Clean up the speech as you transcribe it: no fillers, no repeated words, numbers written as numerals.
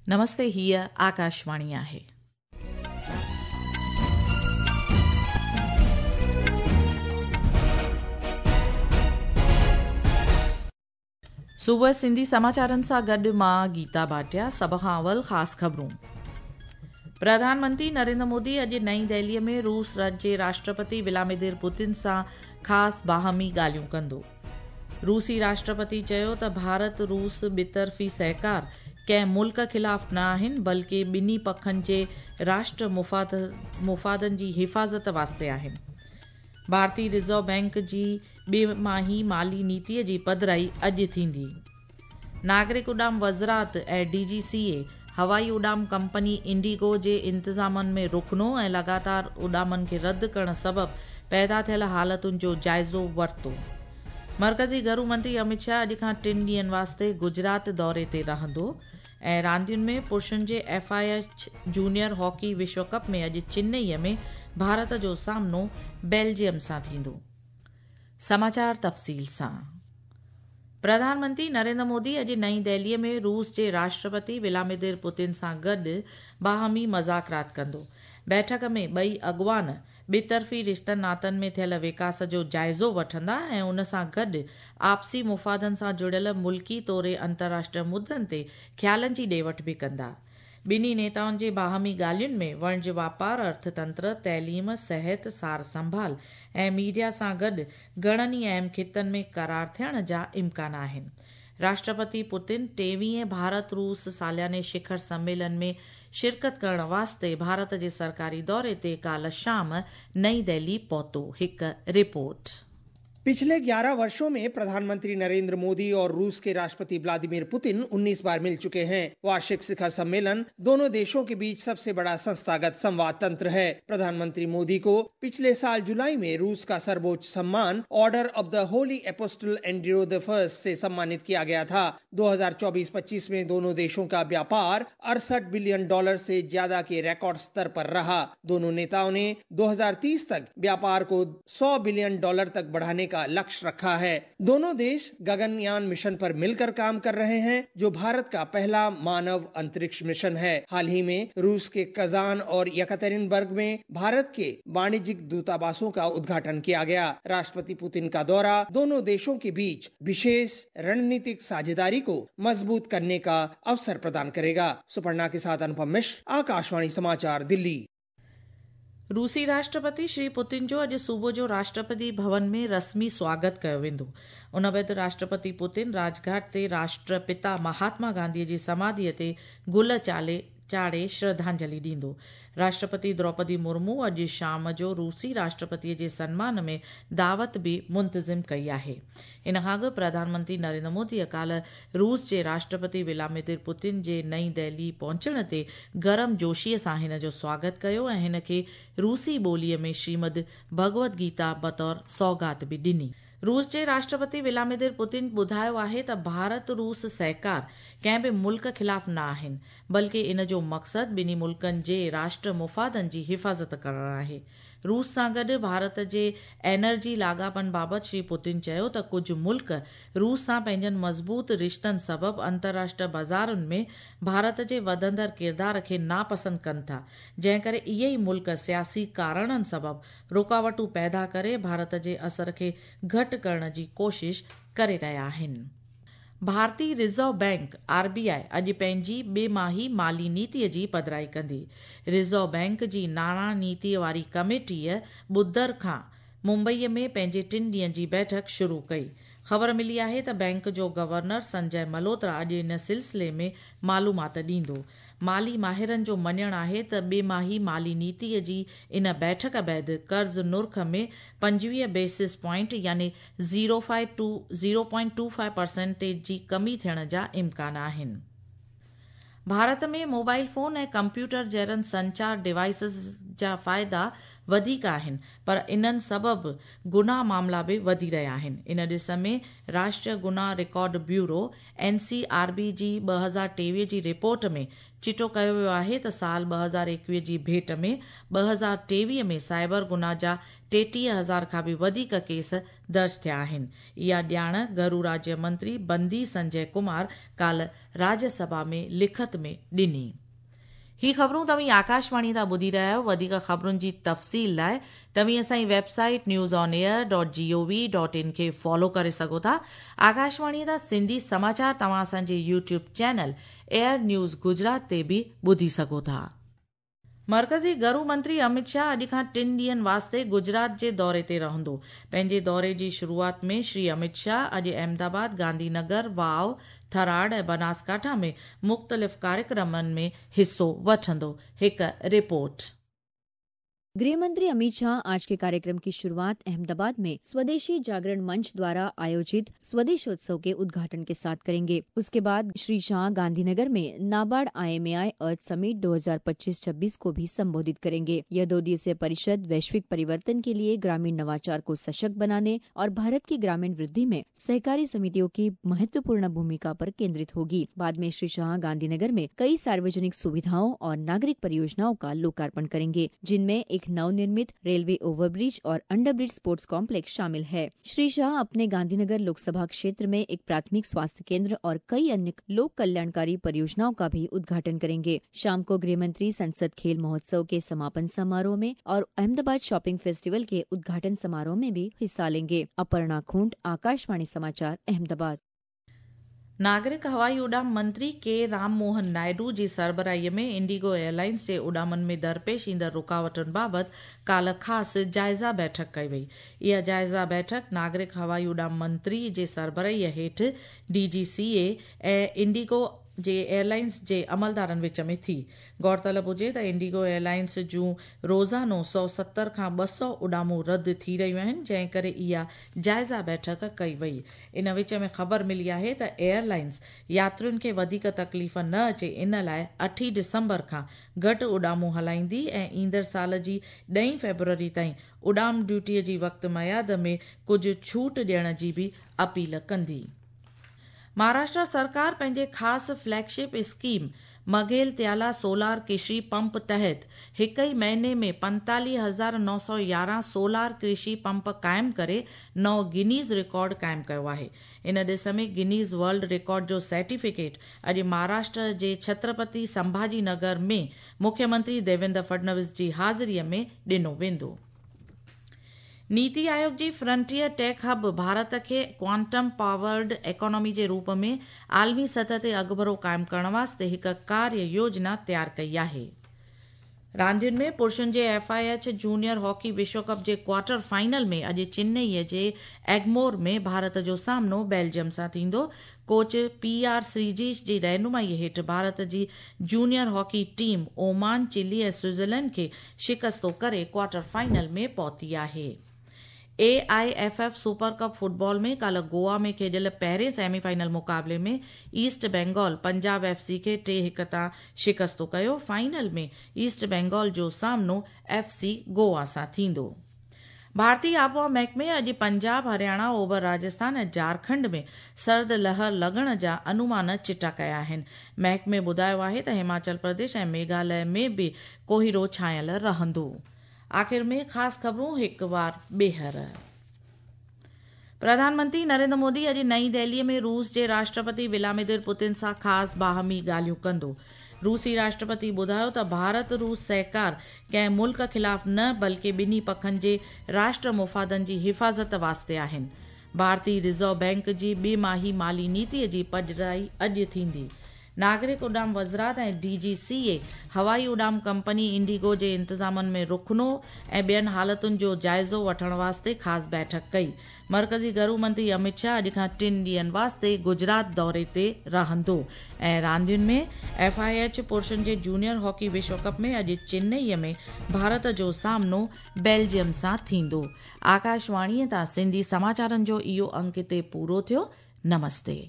نمستي هيء آڪاشواڻي آهي. صبح سنڌي سماچارن سان گڏ مان گيتا ڀاٽيا سڀ کان اول خاص خبرون پرڌان منتري نريندر مودي اڄ نئين دهليء ۾ روس جي راشٽرپتي ولاديمير پوتن سان خاص باهمي ڳالهيون ڪندو. روسي راشٽرپتي چيو ته ڀارت روس ٻطرفي سهڪار ڪنهن ملڪ خلاف نه آهن بلڪه ٻنهي پکن جي راشٽر مفادن جي حفاظت واسطي آهن. ڀارتي رزرو بئنڪ جي ٻه ماهي مالي نيتي جي پڌرائي اڄ ٿيندي. ناگرڪ اڏام وزارت ۽ ڊي جي سي اي هوائي اڏام ڪمپني انڊيگو جي انتظامن ۾ رخنو ۽ لڳاتار اڏامن کي رد ڪرڻ سبب پيدا ٿيل حالتن جو جائزو ورتو. مرڪزي گهرو منتري امت شاهه اڄ کان ٽن ڏينهن واسطي گجرات دوري تي رهندو ۽ راندين ۾ پرشن جي F I H junior hockey وشو ڪپ ۾ اڄ چنئي ۾ ڀارت جو سامنو بيلجيم سان ٿيندو. سماچار تفصيل سان پرڌان منتري نريندر مودي اڄ نئين دهليء ۾ روس جي راشٽرپتي ولاديمير پوتن سان گڏ باهمي مذاڪرات ڪندو. بيٺڪ ۾ ٻئي اڳواڻ ٻطرفي رشتن ناتن ۾ ٿيل وڪاس جو جائزو وٺندا ۽ ان سان گڏ آپسي مفادن سان جڙيل ملڪي توڙي انترراشٽريه مدن تي خيالن جي ڏي وٺ به ڪندا. ٻنهي نيتائن جي باهمي ڳالهين ۾ وڻج واپار، ارٿتنتر، تعليم، صحت، سار سنڀال ۽ ميڊيا سان گڏ گهڻن ئي اهم خطن ۾ قرار ٿيڻ جا امڪان آهن. راشٽرپتي پوتن ٽيويهين ڀارت روس سالياني شکر سميلن ۾ شرڪت ڪرڻ واسطي ڀارت جي سرڪاري دوري تي ڪالهه شام نئين دهلي پهتو. هڪ رپورٽ. पिछले 11 वर्षों में प्रधानमंत्री नरेंद्र मोदी और रूस के राष्ट्रपति व्लादिमीर पुतिन 19 बार मिल चुके हैं। वार्षिक शिखर सम्मेलन दोनों देशों के बीच सबसे बड़ा संस्थागत संवाद तंत्र है। प्रधानमंत्री मोदी को पिछले साल जुलाई में रूस का सर्वोच्च सम्मान Order of the Holy Apostle Andrew the First से सम्मानित किया गया था। 2024-25 में दोनों देशों का व्यापार 68 बिलियन डॉलर से ज्यादा के रिकॉर्ड स्तर पर रहा। दोनों नेताओं ने 2030 तक व्यापार को 100 बिलियन डॉलर तक बढ़ाने का लक्ष्य रखा है। दोनों देश गगनयान मिशन पर मिलकर काम कर रहे हैं, जो भारत का पहला मानव अंतरिक्ष मिशन है। हाल ही में रूस के कजान और यकातेरिनबर्ग में भारत के वाणिज्यिक दूतावासों का उद्घाटन किया गया। राष्ट्रपति पुतिन का दौरा दोनों देशों के बीच विशेष रणनीतिक साझेदारी को मजबूत करने का अवसर प्रदान करेगा। सुपर्णा के साथ अनुपम मिश्र, आकाशवाणी समाचार, दिल्ली। रूसी राष्ट्रपति श्री पुतिन जो अॼु सुबुह जो राष्ट्रपति भवन में रस्मी स्वागत कयो वेंदो। उन बाद राष्ट्रपति पुतिन राजघाट ते राष्ट्रपिता महात्मा गांधीअ जी समाधीअ ते गुल चाढ़े श्रद्धांजलि ॾींदो। राष्ट्रपति द्रौपदी मुर्मू अॼु शाम जो रूसी राष्ट्रपतीअ जे सन्मान में दावत बि मुंतज़िम कई आहे। इन खां अॻु प्रधानमंत्री नरेंद्र मोदीअ काल्ह रूस जे राष्ट्रपति व्लादिमीर पुतिन जे नई दिल्ली पहुचण ते गरम जोशीअ सां हिन जो स्वागत कयो ऐं हिन खे रूसी ॿोलीअ में श्रीमद भगवद गीता बतौर सौगात बि ॾिनी। रूस जे राष्ट्रपति व्लादिमीर पुतिन ॿुधायो आहे त भारत रूस सहकार कंहिं बि मुल्क ख़िलाफ़ न आहिनि, बल्कि इन जो मक़सदु ॿिन्ही मुल्कनि जे राष्ट्र मुफ़ादनि जी हिफ़ाज़त करणु आहे। रूस सां गॾु भारत जे एनर्जी लाॻापनि बाबति श्री पुतिन चयो त कुझु मुल्क रूस सां पंहिंजनि मज़बूत रिश्तनि सबबु अंतर्राष्ट्रीय बाज़ारुनि में भारत जे वधंदड़ किरदार खे नापसंदि कनि था, जंहिं करे इहे ई मुल्क सियासी कारणनि सबबु रुकावटूं पैदा करे भारत जे असर खे घटि करण जी कोशिश करे रहिया आहिनि। भारतीय रिज़र्व बैंक आरबीआई अॼु पंहिंजी ॿिमाही माली नीतीअ जी पधराई कंदी। रिज़र्व बैंक जी नाणा नीतीअ वारी कमेटीअ ॿुधर खां मुंबईअ में पंहिंजे टिनि ॾींहंनि जी बैठक शुरू कई। ख़बर मिली आहे त बैंक जो गवर्नर संजय मल्होत्रा अॼु इन सिलसिले में मालूमात ॾींदो। माली माहिरनि जो मञणु आहे त ॿिमाही माली नीतीअ जी इन बैठक बाद कर्ज़ नुर्ख में 25 बेसिस पॉइंट यानी 0.25 परसेंटेज जी कमी थियण जा इम्कान आहिनि। भारत में मोबाइल फ़ोन ऐं कंप्यूटर जहिड़नि संचार डिवाइसिस जा फ़ाइदा वधीक आहिनि, पर इन्हनि सबबु गुनाह मामला बि वधी रहिया आहिनि। इन ॾिस में राष्ट्रीय गुनाह रिकॉर्ड ब्यूरो एनसीआरबी जी 2023 जी रिपोर्ट में चिटो कयो वियो आहे त साल 2021 जी भेंट में 2023 में साइबर गुनाह जा ٽيٽيهه هزار کان به وڌيڪ ڪيس درج ٿيا آهن. اها ڄاڻ گهرو راجيه منتري بندي سنجي ڪمار ڪالهه راجيه سڀا ۾ لکت ۾ ڏني. هي خبرون توهين آڪاشواڻي تان ٻڌي رهيا آهيو. وڌيڪ خبرن جي تفصيل لاء توهين اسان جي website news on air dot G O V dot in کي فالو ڪري سگهو ٿا. آڪاشواڻي تان سنڌي سماچار توهان اسان جي YouTube channel air news Gujarat تي به ٻڌي سگهو ٿا. مرڪزي گهرو منتري امت شاهه اڄ کان ٽن ڏينهن واسطي گجرات جي دوري تي رهندو. پنهنجي دوري جي شروعات ۾ شري امت شاهه اڄ احمدآباد، گانڌي نگر، واو، ٿراڙ ۽ بناسڪاٺا ۾ مختلف ڪاريڪرمن ۾ حصو وٺندو. هڪ رپورٽ. गृह मंत्री अमित शाह आज के कार्यक्रम की शुरुआत अहमदाबाद में स्वदेशी जागरण मंच द्वारा आयोजित स्वदेशोत्सव के उद्घाटन के साथ करेंगे। उसके बाद श्री शाह गांधीनगर में नाबार्ड आईएमएआई अर्थ समिट 2025-26 को भी संबोधित करेंगे। यह दो दिवसीय परिषद वैश्विक परिवर्तन के लिए ग्रामीण नवाचार को सशक्त बनाने और भारत की ग्रामीण वृद्धि में सहकारी समितियों की महत्वपूर्ण भूमिका पर केंद्रित होगी। बाद में श्री शाह गांधीनगर में कई सार्वजनिक सुविधाओं और नागरिक परियोजनाओं का लोकार्पण करेंगे, जिनमें एक नवनिर्मित रेलवे ओवरब्रिज और अंडरब्रिज स्पोर्ट्स कॉम्प्लेक्स शामिल है। श्री शाह अपने गांधीनगर लोकसभा क्षेत्र में एक प्राथमिक स्वास्थ्य केंद्र और कई अन्य लोक कल्याणकारी परियोजनाओं का भी उद्घाटन करेंगे। शाम को गृह मंत्री संसद खेल महोत्सव के समापन समारोह में और अहमदाबाद शॉपिंग फेस्टिवल के उद्घाटन समारोह में भी हिस्सा लेंगे। अपर्णा खूंट, आकाशवाणी समाचार, अहमदाबाद। नागरिक हवाई उड़ान मंत्री के राम मोहन नायडू जी सरबराहीअ में इंडिगो एयरलाइंस जे उड़ामनि में दरपेश ईंदड़ रुकावटुनि बाबति काल्ह ख़ासि जाइज़ा बैठक कई वई। इहा जाइज़ा बैठक नागरिक हवाई उड़ान मंत्री जे सरबराहीअ हेठि डीजीसीए ऐं इंडिगो जे एयरलाइंस जे अमलदारनि विच में थी। गौरतलब हुजे त इंडिगो एयरलाइंस जूं रोज़ानो 170 खां 200 उॾामूं रद्द थी रहियूं आहिनि, जंहिं करे इहा जाइज़ा बैठक कई वई। इन विच में ख़बर मिली आहे त एयरलाइंस यात्रियुनि खे वधीक तकलीफ़ न अचे इन लाइ 8 डिसंबर खां घटि उॾामूं हलाईंदी ऐं ईंदड़ साल जी 10 फ़ेब्रुअरी ताईं उॾाम ड्यूटीअ जी वक़्त मयाद में कुझु छूट ॾियण जी बि अपील कंदी। महाराष्ट्र सरकार पंहिंजे ख़ासि फ्लैगशिप स्कीम मघेल त्याला सोलार कृषि पंप तहत हिक ई महीने में 45,911 सोलार कृषि पंप क़ाइमु करे नओं गिनीज़ रिकॉर्ड क़ाइमु कयो आहे। इन ॾिस में गिनीज़ वर्ल्ड रिकॉर्ड जो सर्टिफिकेट अॼु महाराष्ट्र जे छत्रपति संभाजी नगर में मुख्यमंत्री देवेंद्र फडणवीस जी हाज़िरीअ में ॾिनो वेंदो। नीति आयोग जी फ्रंटियर टेक हब भारत खे क्वांटम पावर्ड इकॉनॉमी जे रूप में आलमी सतह ते अॻुभरो क़ाइमु करण वास्ते हिकु कार्य योजना तयारु कई आहे। रांदियुनि में पुरुषनि जे एफआईएच जूनियर हॉकी विश्व कप जे क्वार्टर फाइनल में अॼु चेन्नईअ जे एगमोर में भारत जो सामनो बेल्जियम सां थींदो। कोच पी आर श्रीजीश जी रहनुमाईअ हेठि भारत जी junior hockey team Oman, Chile ऐं स्विट्ज़रलैंड खे शिकस्तो करे क्वार्टर फाइनल में पहुती आहे। एआईएफएफ सुपर कप फुटबॉल में काल्ह गोवा में खेॾियल पहिरें सेमीफाइनल मुक़ाबले में ईस्ट बंगाल पंजाब एफसी खे 3-1 तां शिकस्तो कयो। फाइनल में ईस्ट बंगाल जो सामनो एफसी गोवा सां थींदो। भारतीय आबहावा महकमे अॼु पंजाब, हरियाणा, ओभर राजस्थान ऐं झारखंड में सर्द लहर लॻण जा अनुमान चिटा कया आहिनि। महकमे ॿुधायो आहे त हिमाचल प्रदेश ऐं मेघालय में बि कोहिरो छायल रहंदो। आख़िर में ख़ासि ख़बरूं हिकु वार ॿीहर। प्रधानमंत्री नरेंद्र मोदी अॼु नई दिल्लीअ में रूस जे राष्ट्रपति व्लादिमीर पुतिन सां ख़ासि बाहमी ॻाल्हियूं कंदो। रूसी राष्ट्रपति ॿुधायो त भारत रूस सहकार कंहिं मुल्क ख़िलाफ़ न बल्कि ॿिन्ही पखनि जे राष्ट्र मुफ़ादनि जी हिफ़ाज़त वास्ते आहिनि। भारतीय रिज़र्व बैंक जी ॿिमाही माली नीतीअ जी पधराई अॼु थींदी। नागरिक उॾाम वज़ारत ऐं डीजीसीए हवाई उॾाम कंपनी इंडिगो जे इंतज़ामनि में रुखनो ऐं ॿियनि हालतुनि जो जाइज़ो वठण वास्ते ख़ासि बैठक कई। मरकज़ी घरू मंत्री अमित शाह अॼु खां 3 ॾींहंनि वास्ते गुजरात दौरे ते रहंदो। ऐं रांदियुनि में एफआईएच पुरुषनि जे जूनियर हॉकी विश्व कप में अॼु चेन्नईअ में भारत जो सामनो बेल्जियम सां थींदो। आकाशवाणीअ तां सिंधी समाचारनि जो इहो अंक हिते पूरो थियो। नमस्ते।